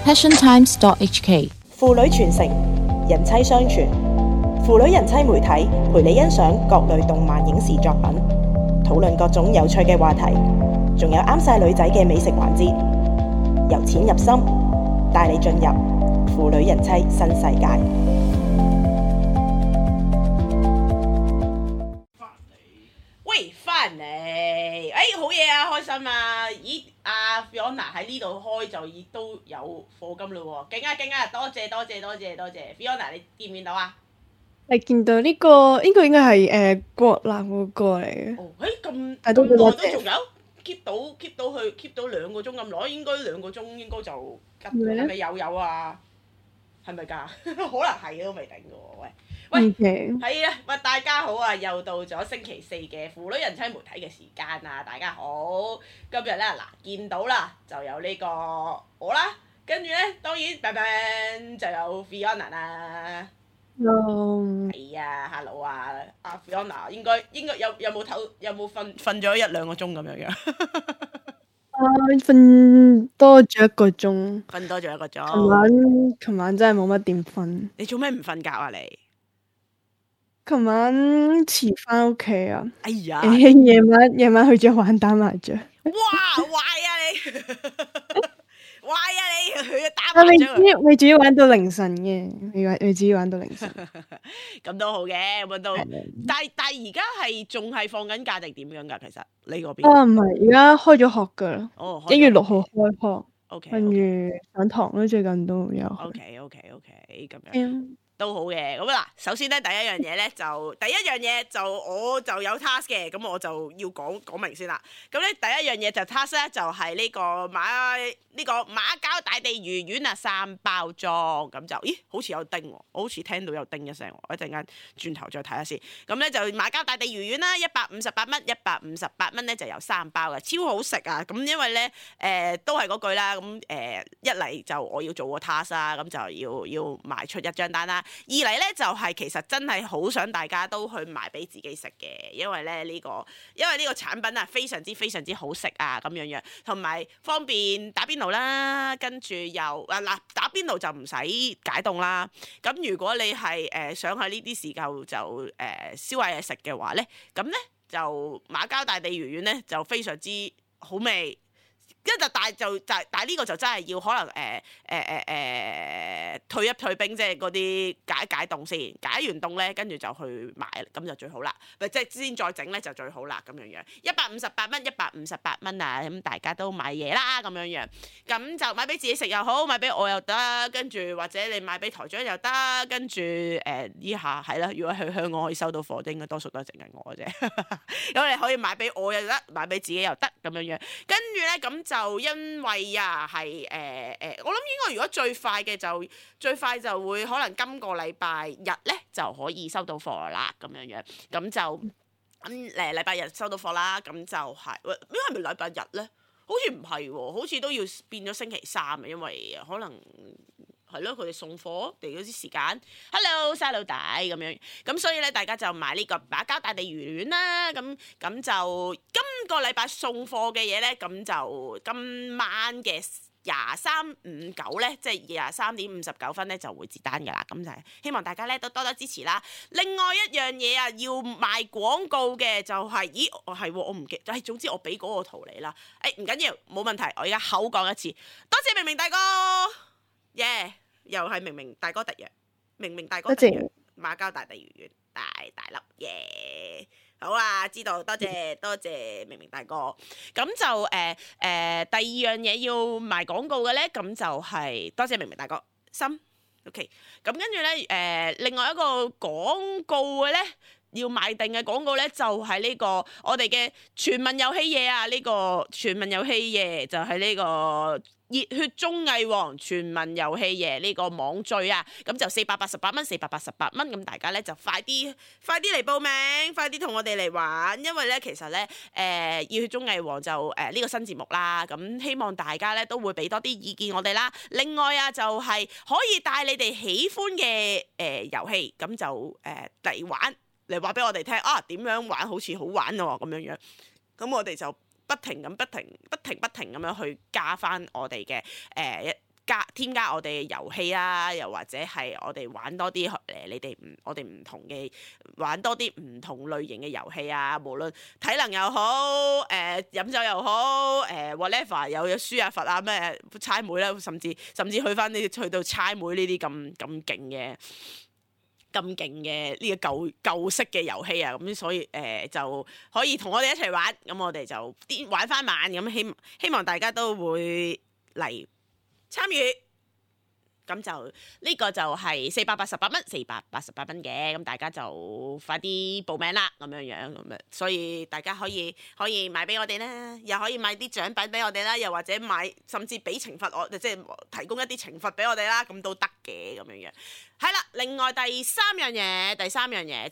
passiontimes.hk。父女傳承，人妻相傳，父女人妻媒體陪你欣賞各類動漫影視作品，討論各種有趣嘅話題，仲有啱晒女仔嘅美食環節，由淺入深，帶你進入父女人妻新世界。翻嚟，好嘢啊，開心啊！咦，阿 Fiona 喺呢度開就已都有課金嘞喎，勁啊勁啊！多謝 Fiona， 你見唔見到啊？你見到呢個應該係國南嗰個嚟嘅。哦，咁耐都仲有 keep 到2個鐘咁耐，應該2個鐘應該就吉，係咪有啊？係咪㗎？可能係都未定嘅喎，喂，係啊，喂，大家好啊！又到咗星期4嘅父女人妻媒體嘅時間啊！大家好，今日咧嗱見到啦，就有呢個我啦，跟住咧當然就有 Fiona 啦。Hello。係啊 ，Hello 啊，阿 Fiona 應該有冇瞓咗1-2個鐘咁樣樣？瞓多咗1個鐘。瞓多咗1個鐘。琴晚真係冇乜點瞓。你做咩唔瞓覺啊？你？琴晚遲翻屋企啊！哎呀！夜晚去咗玩打麻雀。哇！壞啊你！壞啊你！去咗打麻雀。未至於玩到凌晨嘅，未至於玩到凌晨。咁都好嘅，咁都。但係而家係仲係放緊假定點樣㗎？其實你嗰邊？唔係，而家開咗學㗎啦。1月6號開學。OK。跟住上堂咯，最近都有。OK，咁樣。都好嘅，咁嗱，首先咧第一樣嘢就我就有 task 嘅，咁我就要講明先啦。咁咧第一樣嘢就 task 咧就係呢個馬交大地魚丸啊3包裝，咁就好似有叮喎，我好似聽到有叮一聲，我一陣間轉頭再睇下先。咁咧就馬交大地魚丸啦，158蚊，158蚊咧就有3包嘅，超好食啊！咁因為咧都係嗰句啦，咁一嚟就我要做個 task 啦，咁就要賣出一張單啦。二嚟咧就係其實真係好想大家都去買俾自己食嘅，因為呢個產品啊非常之好食啊咁樣，同埋方便打邊爐啦，跟住又打邊爐就唔使解凍啦。咁如果你係想喺呢啲時候就燒下嘢食嘅話咧，咁咧就馬交大地魚丸咧就非常之好味。但係呢個就真係要可能退一退兵，即係嗰啲解凍先，解完凍咧，跟住就去買，咁就最好啦。即係先再整咧就最好啦，咁樣158蚊啊！咁大家都買嘢啦，咁樣咁就買俾自己食又好，買俾我又得，跟住或者你買俾台長又得，跟住呢下係啦。如果去香港可以收到貨，應該多數都係淨係我啫。咁你可以買俾我又得，買俾自己又得，咁樣跟住咧咁就因為係我諗應該如果最快就會可能今個禮拜日咧就可以收到貨啦，咁樣咁就禮拜日收到貨啦，咁就係係咪禮拜日咧？好似唔係喎，好似都要變咗星期3啊，因為可能係咯，佢哋送貨嚟嗰啲時間。Hello， 細路仔咁樣，咁所以咧大家就買呢個馬交大地魚丸啦。咁就今個禮拜送貨嘅嘢咧，咁就今晚嘅23:59咧，即係23:59咧就會截單㗎啦。咁就係希望大家咧都多多支持啦。另外一樣嘢啊，要賣廣告嘅就係，我唔記得，總之我俾嗰個圖你啦。唔緊要，冇問題，我而家口講一次，多謝明明大哥。又係明明大哥特約，明明大哥特約，馬交大地魚丸大粒好啊，知道，多謝明明大哥。咁就第二樣嘢要賣廣告嘅咧，咁就係多謝明明大哥心 OK。咁跟住咧另外一個廣告嘅咧，要賣定嘅廣告咧，就係呢個我哋嘅全民遊戲夜啊！呢個全民遊戲夜就係呢個熱血綜藝王全民遊戲夜呢個網聚啊，咁就488蚊，咁大家咧就快啲嚟報名，快啲同我哋嚟玩，因為咧其實咧熱血綜藝王就呢個新節目啦，咁希望大家咧都會俾多啲意見我哋啦。另外啊，就係可以帶你哋喜歡嘅遊戲，咁就嚟玩，嚟話俾我哋聽啊，點樣玩好似好玩喎咁樣，咁我哋就不停咁樣去加翻我哋嘅添加我哋嘅遊戲啦，又或者係我哋玩多啲我哋唔同嘅玩多啲唔同類型嘅遊戲啊，無論體能又好，飲酒又好，whatever 有輸啊罰啊咩猜妹啦，甚至去到猜妹呢啲咁勁嘅呢個舊式嘅遊戲啊，咁所以就可以同我哋一齊玩，咁我哋就玩翻晚，咁希望大家都會嚟參與，咁就呢個就係488蚊嘅，咁大家就快啲報名啦，咁樣，所以大家可以買俾我哋啦，又可以買啲獎品俾我哋啦，又或者甚至俾懲罰即係提供一啲懲罰俾我哋啦，咁都得嘅咁樣。係啦，另外第三樣嘢就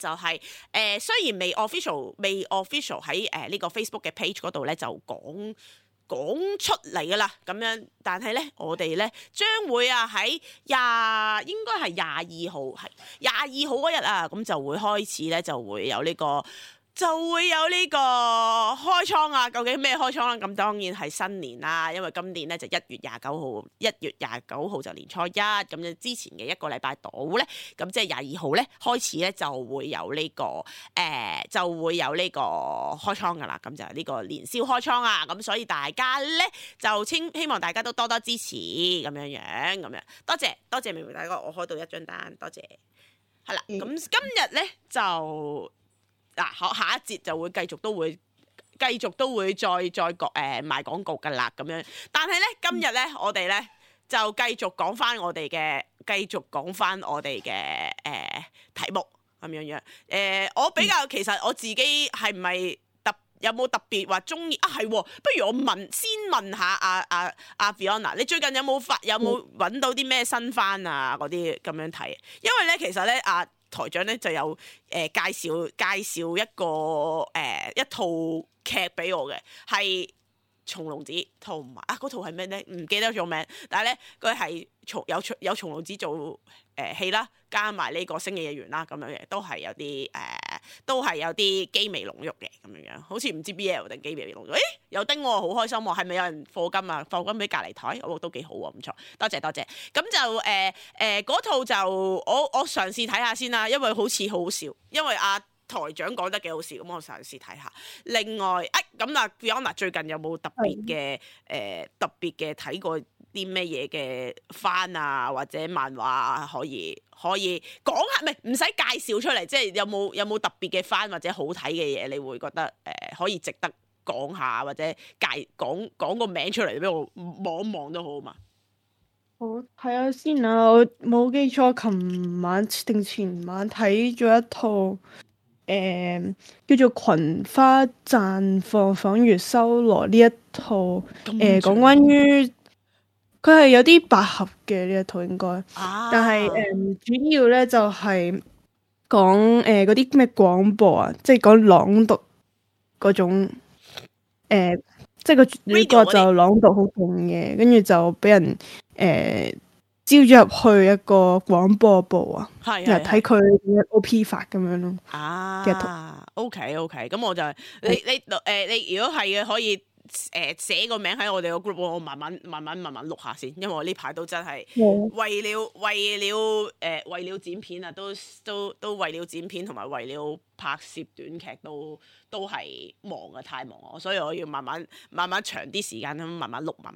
係雖然未 official 喺呢個 Facebook 嘅 page 嗰度咧就講出嚟噶啦，咁樣，但係咧我哋咧將會喺應該係22號嗰日啊，咁就會開始咧就會有呢個開倉啊！究竟咩開倉啦？咁當然係新年啦，因為今年咧就1月29號就年初一，咁就之前嘅一個禮拜到咧，咁即係22號咧開始咧就會有呢個開倉噶啦，咁就係呢個年宵開倉啊！咁所以大家咧就希望大家都多多支持咁樣，多謝明明大哥，我開到一張單，多謝。係啦，咁今日咧就。下一節就會繼續都會再賣廣告㗎啦，咁樣。但係咧今日咧我哋咧就繼續講翻我哋嘅題目咁樣。我比較其實我自己係唔係有冇特別話中意啊？係，不如我先問下阿 Fiona， 你最近有冇揾到啲咩新番啊嗰啲咁樣睇？因為咧其實咧台長咧就有介紹一套劇俾我嘅，係松隆子，同埋嗰套係咩咧？唔記得咗名，但係咧佢係有松隆子做戲啦，加埋呢個星野源啦，咁樣嘅都係有啲機微濃郁嘅咁樣，好似唔知 BL 定機微濃郁，有丁喎，好開心喎，係咪有人課金啊？課金俾隔離台，都幾好喎，唔錯，多謝，咁就嗰套就我嘗試睇下先啦，因為好似好好笑，因為台長講得幾好笑，咁我嘗試睇下。另外，咁Fiona 最近有冇特別嘅睇過啲咩嘢嘅番啊，或者漫畫啊，可以講下？唔使介紹出嚟，即係有冇特別嘅番或者好睇嘅嘢，你會覺得可以值得講下，或者講個名出嚟俾我望一望都好嘛？好，睇下先啊！我冇記錯，琴晚定前晚睇咗一套。叫做《群花綻放仿如修羅》呢一套，講關於佢係有啲百合嘅呢一套應該，但係主要咧就係講嗰啲咩廣播啊，即係講朗讀嗰種，即係個女角就朗讀好勁嘅，跟住就俾人招咗入去一個廣播部啊，又睇佢點樣 OP 法咁樣咯。OK， 咁我就你如果係嘅，可以寫個名喺我哋個 group， 我慢慢錄下先，因為我呢排都真係為了剪片啊，都為了剪片同埋為了拍攝短劇都係忙啊，太忙啊，所以我要慢慢長啲時間咁慢慢錄啊。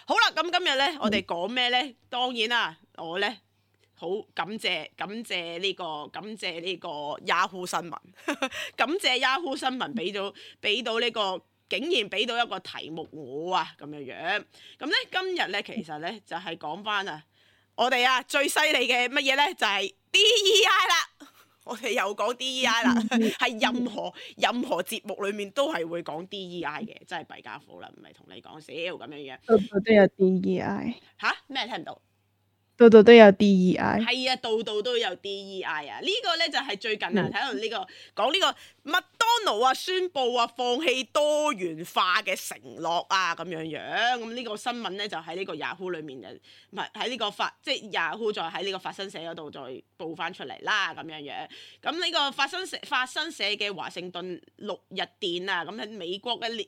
好啦，咁今日咧我哋講咩咧？當然啦，我咧好感謝呢個 Yahoo 新聞，感謝 Yahoo 新聞俾到呢個。竟然俾到一個題目我啊咁樣，咁咧今日咧其實咧就係講翻我哋最犀利嘅乜嘢咧就係 DEI 啦，我哋又講 DEI 啦，係任何節目裏面都係會講 DEI 嘅，真係弊家伙啦，唔係同你講笑咁樣。都有 DEI 咩聽唔到？度度都有 DEI。係啊，度度都有 DEI 啊！呢個咧就係最近啊，睇到呢個講呢個麥當勞啊宣布啊放棄多元化嘅承諾啊咁樣樣。咁呢個新聞咧就喺呢個 Yahoo 裏面唔係喺呢個即係 Yahoo 再喺呢個法新社嗰度再報翻出嚟啦咁樣樣。咁呢個法新社嘅華盛頓六日店啊，咁喺美國嘅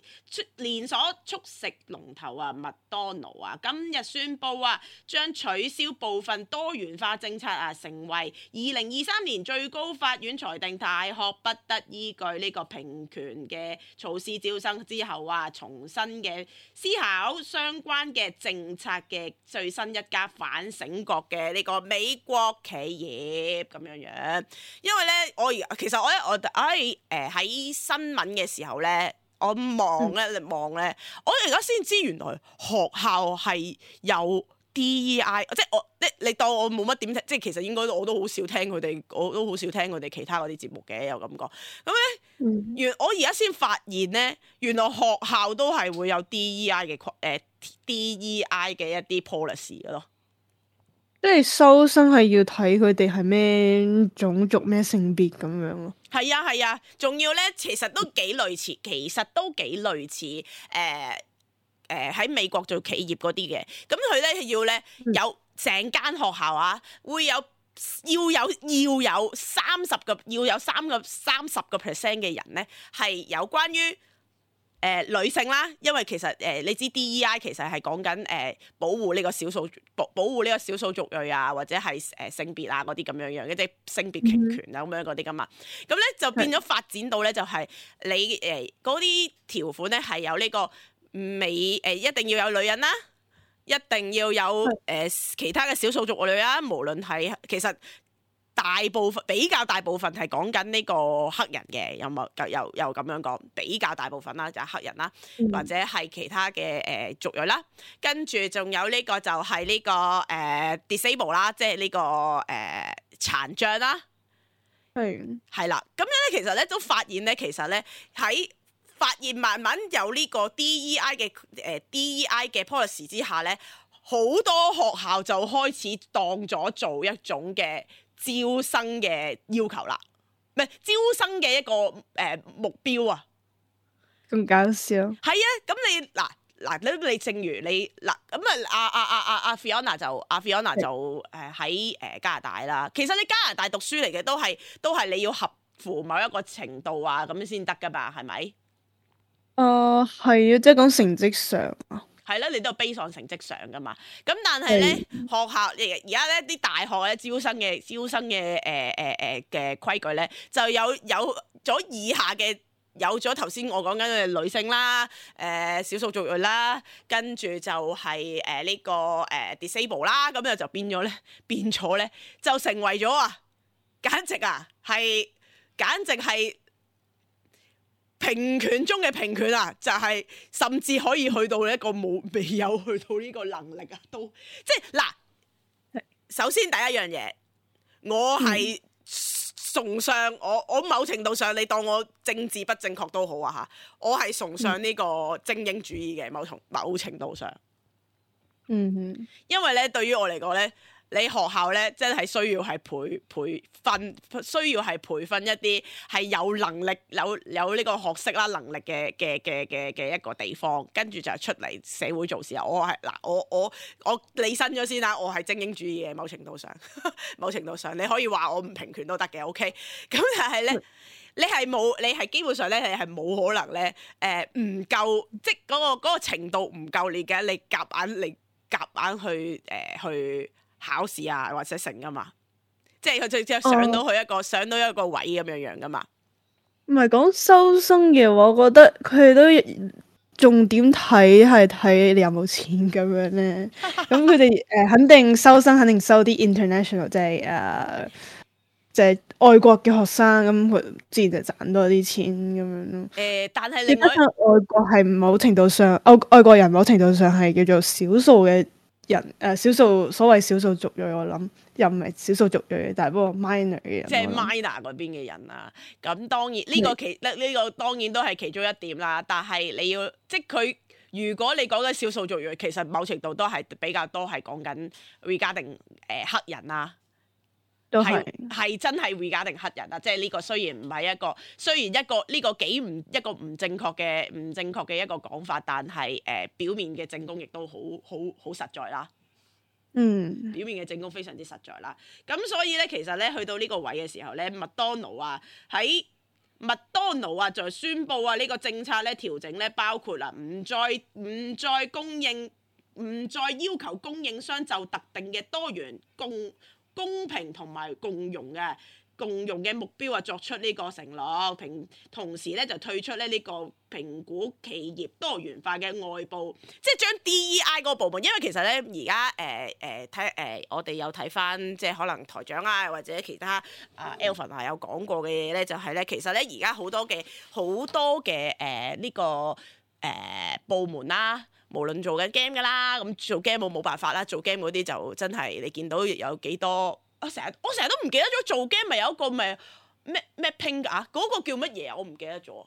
連鎖速食龍頭啊麥當勞啊，今日宣布啊將取消部分多元化政策啊，成為2023年最高法院裁定大學不得依據呢個平權嘅措施招生之後啊，重新嘅思考相關嘅政策嘅最新一家反省國嘅呢個美國企業咁樣樣。因為咧，其實我喺新聞嘅時候咧，我望咧，我而家先知原來學校係有 DEI， 即係你當我冇乜點聽，即係其實應該我都好少聽佢哋，我都好少聽佢哋其他嗰啲節目嘅，有咁講。咁咧，我而家先發現咧，原來學校都係會有 DEI 嘅DEI 嘅一啲 policy 嘅咯。即係收生係要睇佢哋係咩種族咩性別咁樣咯。係啊，仲要咧，其實都幾類似喺美國做企業嗰啲嘅。咁佢咧要咧有成間學校啊，會有要有30% 嘅人咧係有關於女性啦，因為其實你知 DEI 其實係講緊保護呢個少數族裔啊，或者係性別啊嗰啲咁樣樣嘅，即係性別平權啊咁樣嗰啲噶嘛。咁咧就變咗發展到咧就係你嗰啲條款咧係有呢個一定要有女人啦，一定要有其他嘅少數族裔啦，無論係其實。比較大部分係講緊呢個黑人嘅，又咁樣講，比較大部分啦就係黑人啦，或者係其他嘅族裔啦，跟住仲有呢個就係呢個disable 啦，即係呢個殘障啦，係啦，咁樣咧其實咧都發現咧，其實咧慢慢有呢個 DEI 嘅 policy 之下咧，好多學校就開始當咗做一種嘅招生嘅要求啦，唔係招生嘅一個目標啊！咁搞笑。係啊，咁你正如你咁阿 Fiona 就喺加拿大啦。其實你加拿大讀書嚟嘅都係你要合乎某一個程度啊，咁先得噶嘛，係咪？係啊，即係講成績上啊。係啦，你都係 base on 成績上噶嘛。咁但係咧，學校而家咧啲大學咧招生嘅嘅規矩咧，就有咗以下嘅，有咗頭先我講緊嘅女性啦，少數族裔啦，跟住就係呢個disable 啦，咁又就變咗咧，就成為咗簡直係平權中嘅平權啊！就係甚至可以去到一個未有去到呢個能力啊，都即係嗱。首先第一樣嘢，我係崇尚我某程度上，你當我政治不正確都好啊嚇，我係崇尚呢個精英主義嘅某程度上。因為咧對於我嚟講咧。你學校咧，真係需要係培訓一啲係有能力、有呢個學識啦、能力嘅一個地方，跟住就出嚟社會做事啊！我理身咗先啦，我係精英主義嘅某程度上，你可以話我唔平權都得嘅 ，OK？ 咁但係咧，你係基本上咧，你係冇可能咧，唔夠，即係嗰個程度唔夠你嘅，你夾硬去考試啊，或者成噶嘛，即係佢即係上到一個位咁樣噶嘛。唔係講收生嘅話，我覺得佢哋都重點睇係睇你有冇錢咁樣咧。咁佢哋肯定收生，肯定收啲 international，即係外國嘅學生，咁佢自然就賺多啲錢咁樣咯。但係另外外國係某程度上，外國人某程度上係叫做少數嘅。所謂少數族裔，我諗又唔係少數族裔，但係不過 minor 嘅人，即係 minor 嗰邊嘅人啊。咁當然呢個當然都係其中一點啦。但係你要即係佢如果你講緊少數族裔，其實某程度都係比較多係講緊 regarding 黑人啊。都係真係 regarding黑人啊！即係呢個雖然唔係一個，雖然一個呢個幾唔一個唔正確嘅一個講法，但係表面嘅證供亦都好實在啦。表面嘅證供非常之實在啦。咁所以咧，其實咧去到呢個位嘅時候咧，麥當勞啊就宣布啊呢個政策咧調整咧，包括啦唔再要求供應商就特定嘅多元公平同埋共融嘅目標啊，作出呢個承諾，同時咧就退出咧呢個評估企業多元化嘅外部，即係將 DEI 嗰個部門，因為其實咧而家我哋有睇翻，即係可能台長啊或者其他Alvin 有講過嘅嘢咧，就係咧其實咧而家好多嘅呢個部門啦。無論做緊 game 噶啦，咁做 game 冇辦法啦，做 game 嗰啲就真係你見到有幾多，我成日都唔記得咗做 game 咪有一個咩 pink 啊，嗰個叫乜嘢啊？我唔記得咗，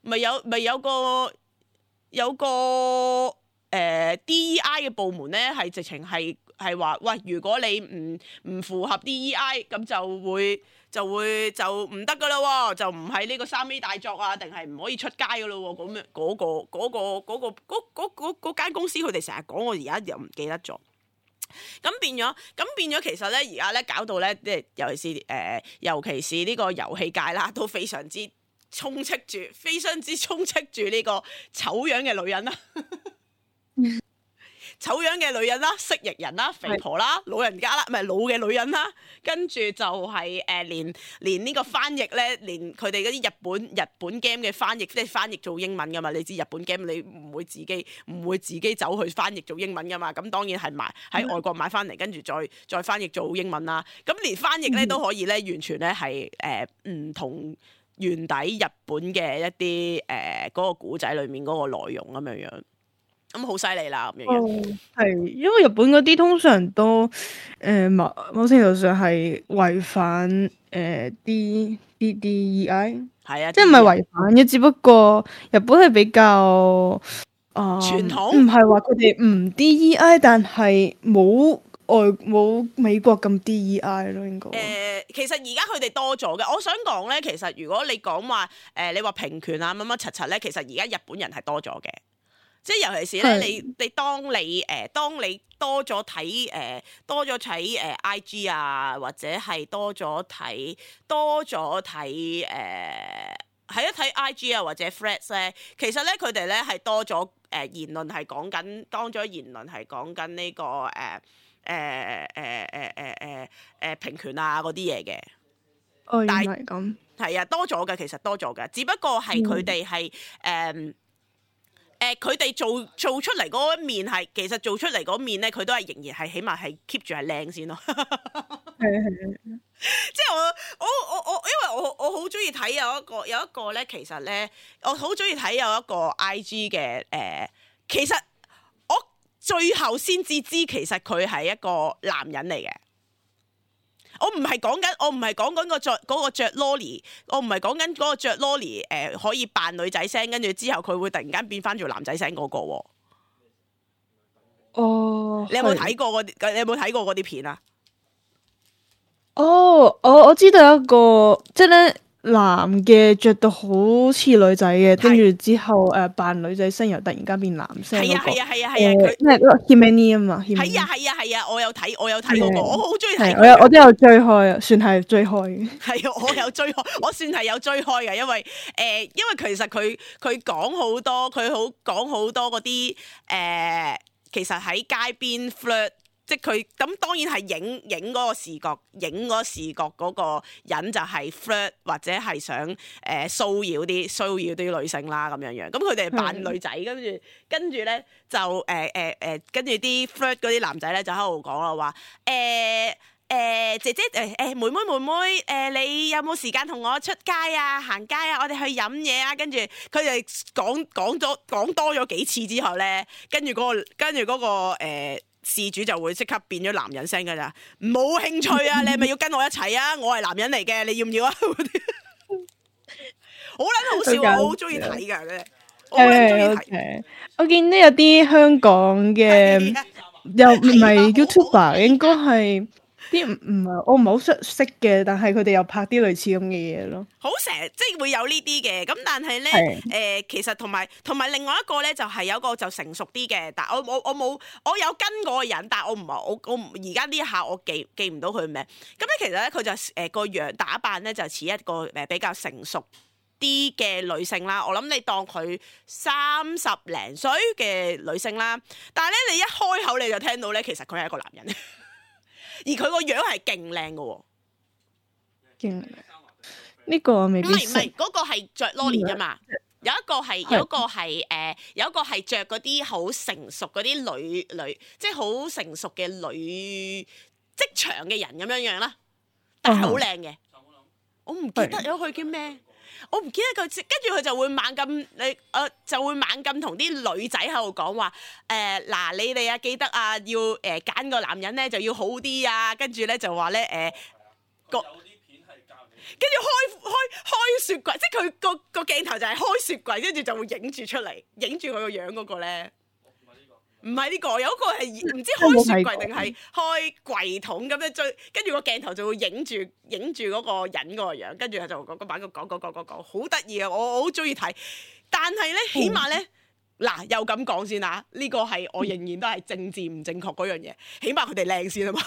咪有個DEI 嘅部門咧，係直情係話喂，如果你唔符合 DEI 咁就唔得噶啦喎，就唔係呢個3A 大作啊，定係唔可以出街噶咯喎，咁樣嗰間公司佢哋成日講，我而家又唔記得咗。咁變咗，其實咧而家咧搞到咧，即係尤其是呢個遊戲界啦，都非常之充斥住呢個醜樣嘅女人啦。醜樣嘅女人啦，蜥蜴人啦，肥婆啦，老人家啦，唔係老嘅女人啦，跟住就係連呢個翻譯咧，連佢哋嗰啲日本 game 嘅翻譯，即係翻譯做英文噶嘛？你知日本 game 你唔會自己走去翻譯做英文噶嘛？咁當然係喺外國買翻嚟，跟住再翻譯做英文啦。咁連翻譯咧都可以咧，完全咧係唔同原底日本嘅一啲嗰個古仔裡面嗰個內容咁樣。咁好犀利啦咁樣。係因為日本嗰啲通常都某程度上係違反DEI。係啊，即係唔係違反嘅，只不過日本係比較傳統，唔係話佢哋唔 DEI，但係冇美國咁 DEI 咯，應該。其實而家佢哋多咗嘅，我想講咧，其實如果你講話你話平權啊乜乜柒柒咧，其實而家日本人係多咗嘅。即係尤其是咧，你當你多咗睇IG 啊，或者係多咗睇睇 IG 啊或者 Threads 咧，其實咧佢哋咧係多咗言論係講緊，當咗言論係講緊呢個平權啊嗰啲嘢嘅。但係咁係啊，多咗嘅，其實多咗嘅，只不過係佢哋係佢哋做出嚟嗰一面係，其實做出嚟嗰面咧，佢都係仍然係起碼係 keep 住係靚先咯。係。即係我因為我好中意睇有一個咧，其實咧我好中意睇有一個 IG 嘅其實我最後先至知其實佢係一個男人嚟嘅。我唔係講緊嗰個着 lolly， 我唔係講緊嗰個着 lolly 可以扮女仔聲，跟住之後佢會突然間變翻做男仔聲嗰個喎。哦，你有冇睇過嗰啲片啊？哦，我知道一個，即係咧男嘅着到好似女仔嘅，跟住之後扮女仔聲，又突然間變男聲嗰個。係啊，佢咩嗰個 Himani 啊嘛。係啊，我有睇嗰個，我好中意睇。我都有追開啊，算係追開嘅。係啊，我有追開，我算係有追開嘅，因為其實佢講好多嗰啲其實喺街邊 flirt。即係佢咁當然係影嗰個視覺嗰個人就係 flirt 或者係想騷擾啲女性啦咁樣。咁佢哋扮女仔，跟住咧就跟住啲 flirt 嗰啲男仔咧就喺度講啦，話姐姐妹妹你有冇時間同我出街啊行街啊，我哋去飲嘢啊。跟住佢哋講多咗幾次之後咧，跟住嗰個事主就會即刻變咗男人聲㗎咋，冇興趣啊！你係咪要跟我一齊啊？我係男人嚟嘅，你要唔要啊？好撚好笑啊！我好中意睇㗎咧。我好撚中意睇。OK，我見到有啲香港嘅係啊又唔係係啊好好 YouTuber，睇應該係啲唔係我唔係好識嘅，但係佢哋又拍啲類似咁嘅嘢咯。好成日即係會有呢啲嘅，咁但係咧係其實同埋另外一個咧就係有一個就成熟啲嘅，但我冇我有跟嗰個人，但係我唔係我而家呢一下我記唔到佢名。咁咧其實咧佢就個樣打扮咧就似一個比較成熟啲嘅女性啦。我諗你當佢30零歲嘅女性啦，但係咧你一開口你就聽到咧，其實佢係一個男人，而佢個樣係勁靚嘅喎。勁呢個我未必識。唔係嗰個係着 Lolly 啫嘛，有一個係着嗰啲好成熟嗰啲女，即係好成熟嘅女職場嘅人咁樣樣啦，但係好靚嘅。我唔記得咗佢叫咩，我唔記得佢，跟住佢就會猛咁就會猛咁同啲女仔喺度講話嗱，你哋啊記得啊要揀個男人咧就要好啲啊，跟住咧就話咧跟住開雪櫃，即係佢個鏡頭就係開雪櫃，跟住就會影住出嚟，影住佢個樣嗰個咧。唔係呢個，有一個係唔知開雪櫃定係開櫃桶咁樣追，跟住個鏡頭就會影住嗰個人個樣，跟住就個版個講，好得意啊！我好中意睇，但係咧起碼咧嗱又咁講先啦，呢個係我仍然都係政治唔正確嗰樣嘢，起碼佢哋靚先啊嘛。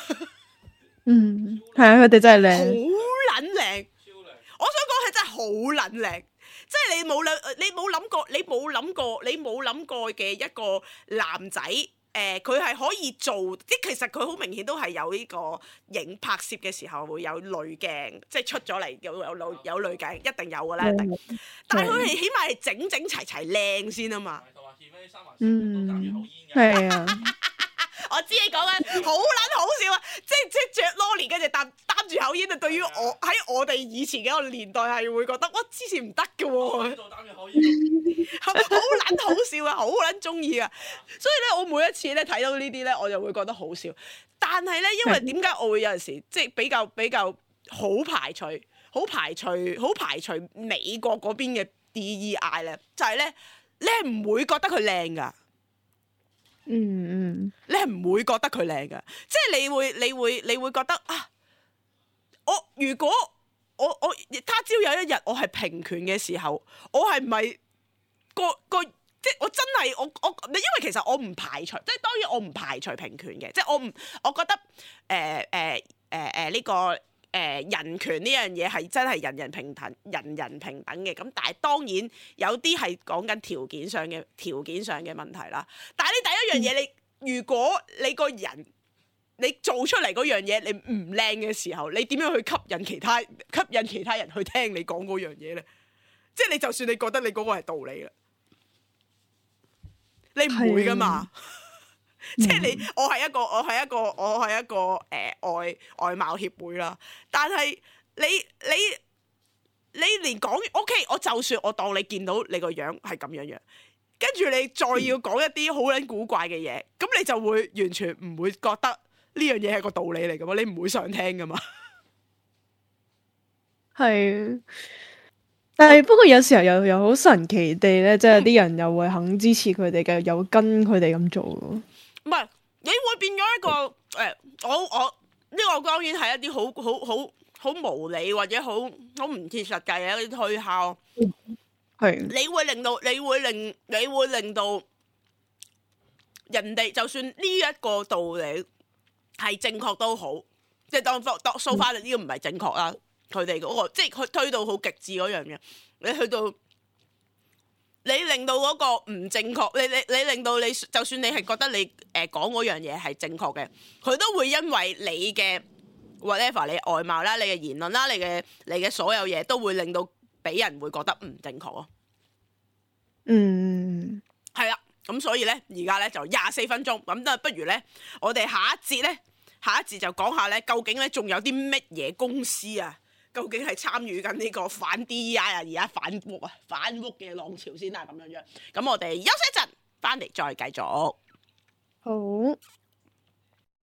嗯，係啊，佢哋真係好靚，撚靚，我想講係真係好撚靚，即係你冇諗過嘅一個男仔，佢係可以做，即係其實佢好明顯都係有呢個拍攝嘅時候會有濾鏡，即係出咗嚟有濾鏡，一定有㗎啦，一定。但係佢係起碼係整整齊齊靚先啊嘛。嗯，係啊。我知你講緊好撚好笑啊！即係着 Lolly 跟住擔住口煙啊！對於我哋以前嘅一個年代係會覺得哇之前唔得嘅喎，好撚好笑啊！好撚中意啊！所以咧，我每一次咧睇到呢啲咧，我就會覺得好笑。但係咧，因為點解我會有陣時即係比較好排除美國嗰邊嘅 DEI 咧，就係咧你係唔會覺得佢靚㗎。嗯，你係唔會覺得佢靚㗎，即係你會覺得啊，如果我他朝有一日我係平權嘅時候，我係咪即係我真係因為其實我唔排除，即係當然我唔排除平權嘅，即係我覺得呢個人權呢樣嘢係真係人人平等嘅，咁但係當然有啲係講緊條件上嘅問題啦。但係你第一樣嘢，你如果你個人你做出嚟嗰樣嘢你唔靚嘅時候，你點樣去吸引其他人去聽你講嗰樣嘢咧？即係你就算你覺得你嗰個係道理啦，你唔會噶嘛。即係我係一個外貌協會啦，但係你連講 OK， 我就算我當你見到你個樣係咁樣，跟住你再要講一啲好撚古怪嘅嘢，咁你就會完全唔會覺得呢樣嘢係個道理嚟噶嘛，你唔會想聽噶嘛。係。但係不過有時候又好神奇地咧，即係啲人又會肯支持佢哋嘅，又跟佢哋咁做。唔係，你會變咗一個我呢個當然係一啲好無理或者好唔切實際嘅一啲推敲。係。你會令到人哋就算呢一個道理係正確都好，即係當 so far 呢個唔係正確啦。佢哋嗰個即係佢推到好極致嗰樣嘢，你去到你令到嗰個唔正確，你令到你就算你係覺得你講嗰樣嘢係正確嘅，佢都會因為你嘅 whatever 你外貌啦、你嘅言論啦、你嘅所有嘢都會令到俾人會覺得唔正確咯。嗯，係啦，咁所以咧而家咧就24分鐘，咁都不如咧我哋下一節就講下咧究竟咧仲有啲乜嘢公司啊？究竟係參與緊呢個反 DEI 啊，而家反屋嘅浪潮先啦，咁樣。咁我哋休息一陣，翻嚟再繼續。好。